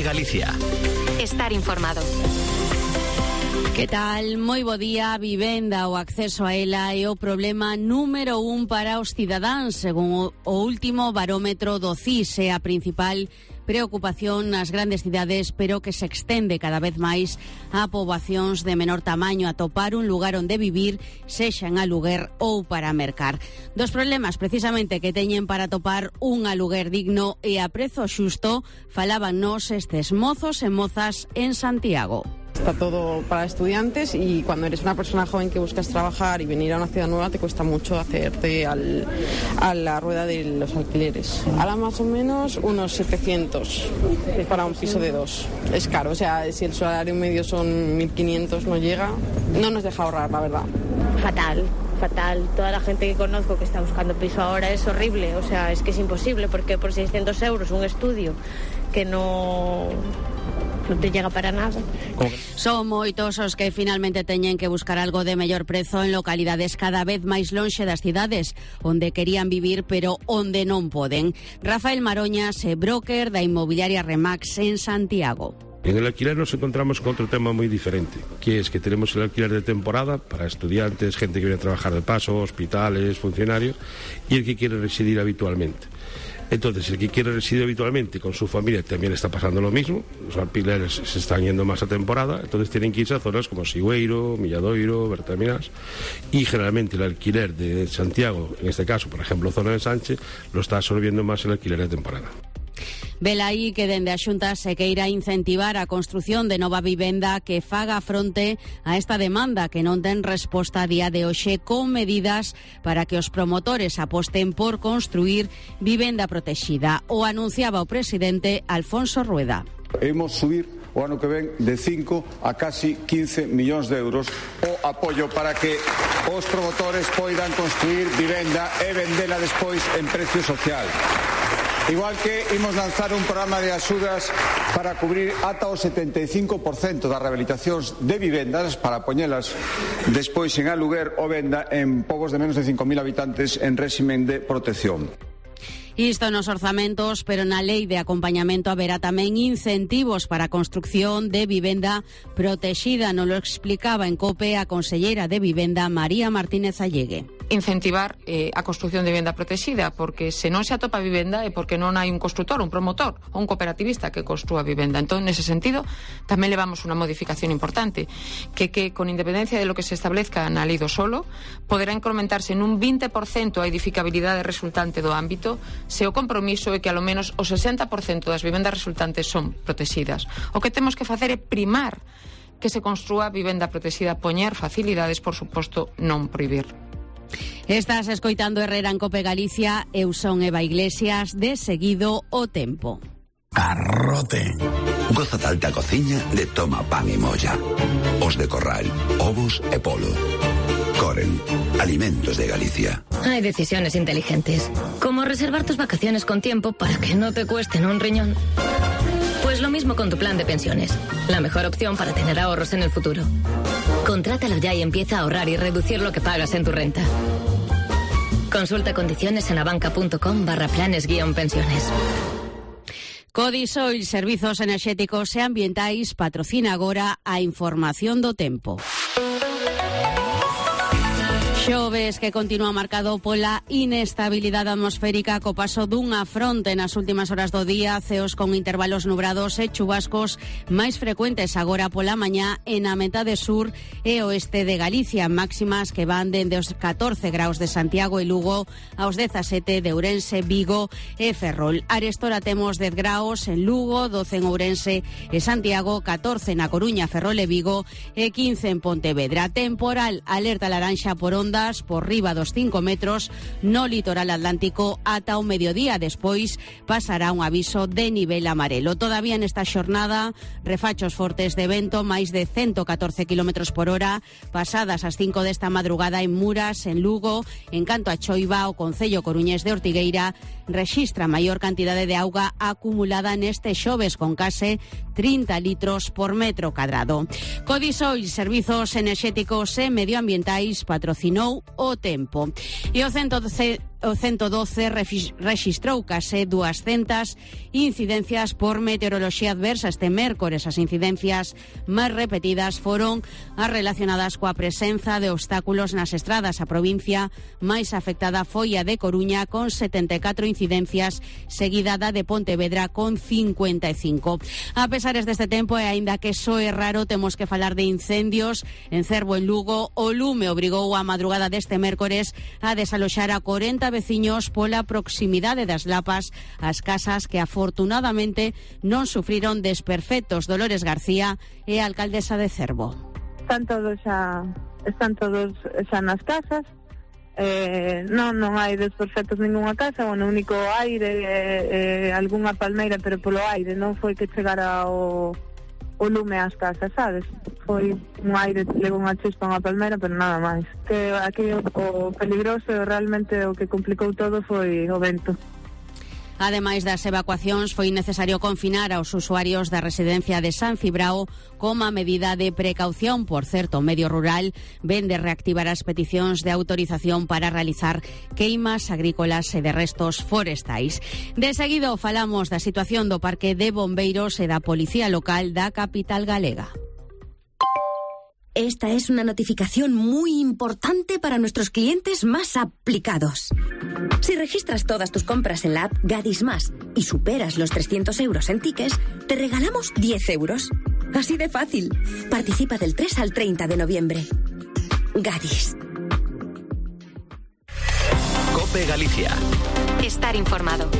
de Galicia. Estar informado. Que tal? Moi bo día. Vivenda, o acceso a ela é o problema número 1 para os cidadáns, según o último barómetro do CIS. É a principal preocupación nas grandes cidades, pero que se extende cada vez máis a poboacións de menor tamaño, a topar un lugar onde vivir, sexa en aluguer ou para mercar. Dos problemas precisamente que teñen para topar un aluguer digno e a prezo xusto falábannos estes mozos e mozas en Santiago. Está todo para estudiantes y cuando eres una persona joven que buscas trabajar y venir a una ciudad nueva te cuesta mucho hacerte a la rueda de los alquileres. Ahora más o menos unos 700 para un piso de 2. Es caro, o sea, si el salario medio son 1.500 no llega, no nos deja ahorrar, la verdad. Fatal. Toda la gente que conozco que está buscando piso ahora es horrible, o sea, es que es imposible porque por 600 euros un estudio que no te llega para nada. Son moitos os que finalmente teñen que buscar algo de mellor prezo en localidades cada vez máis lonxe das cidades onde querían vivir pero onde non poden. Rafael Maroñas é broker da inmobiliaria Remax en Santiago. En el alquiler nos encontramos con otro tema muy diferente, que es que tenemos el alquiler de temporada para estudiantes, gente que viene a trabajar de paso, hospitales, funcionarios, y el que quiere residir habitualmente. Entonces, el que quiere residir habitualmente con su familia también está pasando lo mismo. Los alquileres se están yendo más a temporada, entonces tienen que irse a zonas como Sigüeiro, Milladoiro, Bertaminas, y generalmente el alquiler de Santiago, en este caso, por ejemplo, zona de Sánchez, lo está absorbiendo más el alquiler de temporada. Velaí que dende a Xunta se queira incentivar a construción de nova vivenda que faga fronte a esta demanda que non ten resposta a día de hoxe, con medidas para que os promotores aposten por construir vivenda protexida. O anunciaba o presidente Alfonso Rueda. Imos subir o ano que ven de 5 a casi 15 millóns de euros o apoio para que os promotores poidan construir vivenda e vendela despois en precio social. Igual que imos lanzar un programa de axudas para cubrir ata o 75% das rehabilitacións de vivendas para poñelas despois en aluguer ou venda en pobos de menos de 5.000 habitantes en réximen de protección. Isto nos orzamentos, pero na lei de acompañamento haberá tamén incentivos para a construcción de vivenda protexida. Nos lo explicaba en COPE a conselleira de Vivenda, María Martínez Allegue. Incentivar a construción de vivenda protexida, porque se non se atopa vivenda é porque non hai un constructor, un promotor ou un cooperativista que construa vivenda. Entón, nese sentido, tamén levamos unha modificación importante, que con independencia de lo que se establezca na lei do solo, poderá incrementarse en un 20% a edificabilidade resultante do ámbito se o compromiso é que alo menos o 60% das vivendas resultantes son protegidas. O que temos que facer é primar que se construa vivenda protexida, poñer facilidades, por suposto, non prohibir. Estás escoitando Herrera en Cope Galicia. Eu son Eva Iglesias. De seguido, o tempo. Arrote. Goza da alta cociña de Toma Pan e Molla. Os de Corral, ovos e polo. Coren, alimentos de Galicia. Hay decisiones inteligentes, como reservar tus vacaciones con tiempo para que no te cuesten un riñón. Pues lo mismo con tu plan de pensiones, la mejor opción para tener ahorros en el futuro. Contrátalo ya y empieza a ahorrar y reducir lo que pagas en tu renta. Consulta condiciones en abanca.com/planes-pensiones. Codisoil, Servizos Enerxéticos e Ambientais, patrocina agora a información do tempo. Xoves que continúa marcado pola inestabilidade atmosférica co paso dunha fronte nas últimas horas do día, ceos con intervalos nubrados e chubascos máis frecuentes agora pola mañá en a metade sur e oeste de Galicia, máximas que van dende os 14 graus de Santiago e Lugo aos 17 de Ourense, Vigo e Ferrol. Arestora temos 10 graus en Lugo, 12 en Ourense e Santiago, 14 na Coruña, Ferrol e Vigo e 15 en Pontevedra. Temporal, alerta laranxa por ondas por riba dos 5 metros no litoral atlántico ata o mediodía. Despois pasará un aviso de nivel amarelo. Todavía nesta xornada, refachos fortes de vento, máis de 114 km por hora, pasadas as 5 desta madrugada en Muras, en Lugo. En canto a Choiva, o concello coruñés de Ortigueira rexistra maior cantidade de auga acumulada neste xoves, con case 30 litros por metro cadrado. Codisoil, Servizos Enerxéticos e Medioambientais, patrocinou o tempo. E o 112 rexistrou case 200 incidencias por meteoroloxía adversa este mércores. As incidencias máis repetidas foron as relacionadas coa presenza de obstáculos nas estradas. A provincia máis afectada foi a de Coruña, con 74 incidencias, seguida da de Pontevedra con 55. A pesares deste tempo, e aínda que soe raro, temos que falar de incendios en Cervo, en Lugo. O lume obrigou a madrugada deste mércores a desaloxar a 40 veciños pola proximidade das lapas ás casas que afortunadamente non sufriron desperfectos. Dolores García é a alcaldesa de Cervo. Están todos xa nas casas. Non hai desperfectos ningunha casa, o único aire, algunha palmeira, pero polo aire non foi que chegara o lume ás casas, sabes? Foi un aire, levou unha chispa unha palmeira, pero nada máis. Que aquí o peligroso, realmente o que complicou todo foi o vento. Ademais das evacuacións, foi necesario confinar aos usuarios da residencia de San Cibrao como a medida de precaución. Por certo, o medio rural ven de reactivar as peticións de autorización para realizar queimas agrícolas e de restos forestais. De seguido falamos da situación do parque de bombeiros e da policía local da capital galega. Esta es una notificación muy importante para nuestros clientes más aplicados. Si registras todas tus compras en la app Gadis Más y superas los 300 euros en tickets, te regalamos 10 euros. Así de fácil. Participa del 3 al 30 de noviembre. Gadis. COPE Galicia. Estar informado.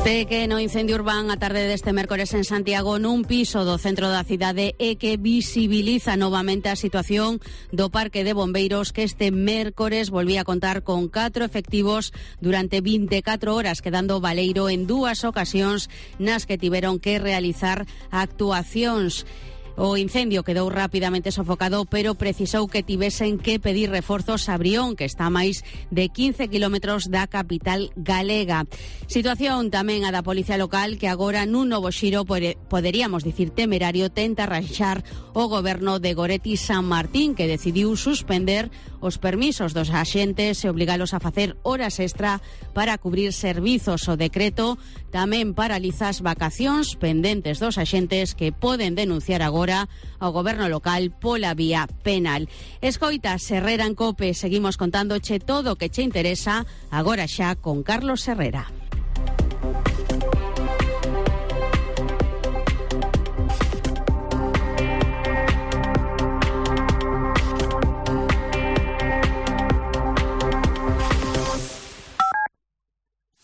Pequeno incendio urbán a tarde deste mércores en Santiago nun piso do centro da cidade e que visibiliza novamente a situación do parque de bombeiros, que este mércores volvía a contar con 4 efectivos durante 24 horas, quedando baleiro en 2 ocasións nas que tiveron que realizar actuacións. O incendio quedou rapidamente sofocado, pero precisou que tivesen que pedir reforzos a Brión, que está a máis de 15 kilómetros da capital galega. Situación tamén a da policía local, que agora nun novo xiro, poderíamos dicir temerario, tenta arranxar o goberno de Goretti San Martín, que decidiu suspender os permisos dos axentes e obligalos a facer horas extra para cubrir servizos. O decreto tamén paraliza as vacacións pendentes dos axentes, que poden denunciar agora ao goberno local pola vía penal. Escoita Herrera en COPE, seguimos contándoche todo o que che interesa, agora xa con Carlos Herrera.